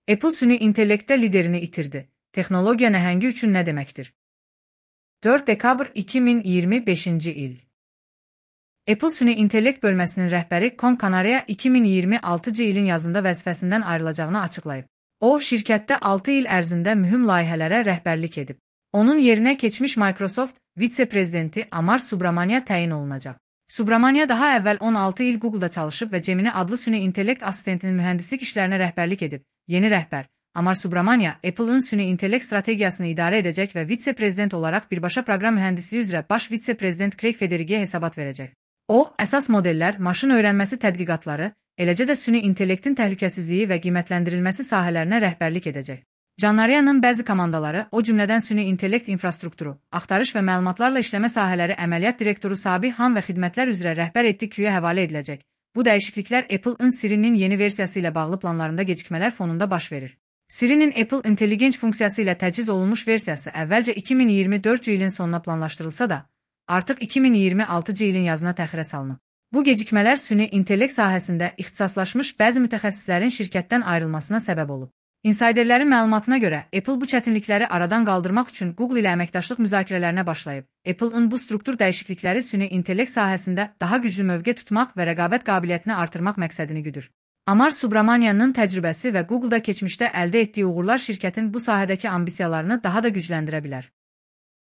Apple süni intellektdə liderini itirdi. Texnologiya nəhəngi üçün nə deməkdir? 4 dekabr 2025-ci il. Apple süni intellekt bölməsinin rəhbəri Con Canarea 2026-cı ilin yazında vəzifəsindən ayrılacağını açıqlayıb. O, şirkətdə 6 il ərzində mühüm layihələrə rəhbərlik edib. Onun yerinə keçmiş Microsoft vitse-prezidenti Amar Subramanya təyin olunacaq. Subramanya daha əvvəl 16 il Google-da çalışıb və Gemini adlı süni intellekt assistentinin mühəndislik işlərinə rəhbərlik edib. Yeni rəhbər Amar Subramanya, Apple-ın süni intellekt strategiyasını idarə edəcək və vitse-prezident olaraq birbaşa proqram mühəndisliyi üzrə baş vitse-prezident Craig Federighiyə hesabat verəcək. O, əsas modellər, maşın öyrənməsi tədqiqatları, eləcə də süni intellektin təhlükəsizliyi və qiymətləndirilməsi sahələrinə rəhbərlik edəcək. Canaria'nın bəzi komandaları, o cümlədən süni intellekt infrastrukturu, axtarış və məlumatlarla işləmə sahələri əməliyyat direktoru Sabi Han və xidmətlər üzrə rəhbər etdiyi Q'ya həvalə ediləcək. Bu dəyişikliklər Apple-ın Siri'nin yeni versiyası ilə bağlı planlarında gecikmələr fonunda baş verir. Siri'nin Apple Intelligence funksiyası ilə təchiz olunmuş versiyası əvvəlcə 2024-cü ilin sonuna planlaşdırılsa da, artıq 2026-cı ilin yazına təxirə salınıb. Bu gecikmələr süni intellekt sahəsində ixtisaslaşmış bəzi mütəxəssislərin şirkətdən ayrılmasına səbəb olub. İnsiderlərin məlumatına görə, Apple bu çətinlikləri aradan qaldırmaq üçün Google ilə əməkdaşlıq müzakirələrinə başlayıb. Apple-ın bu struktur dəyişiklikləri süni intellekt sahəsində daha güclü mövqe tutmaq və rəqabət qabiliyyətini artırmaq məqsədini güdür. Amar Subramanianın təcrübəsi və Google-da keçmişdə əldə etdiyi uğurlar şirkətin bu sahədəki ambisiyalarını daha da gücləndirə bilər.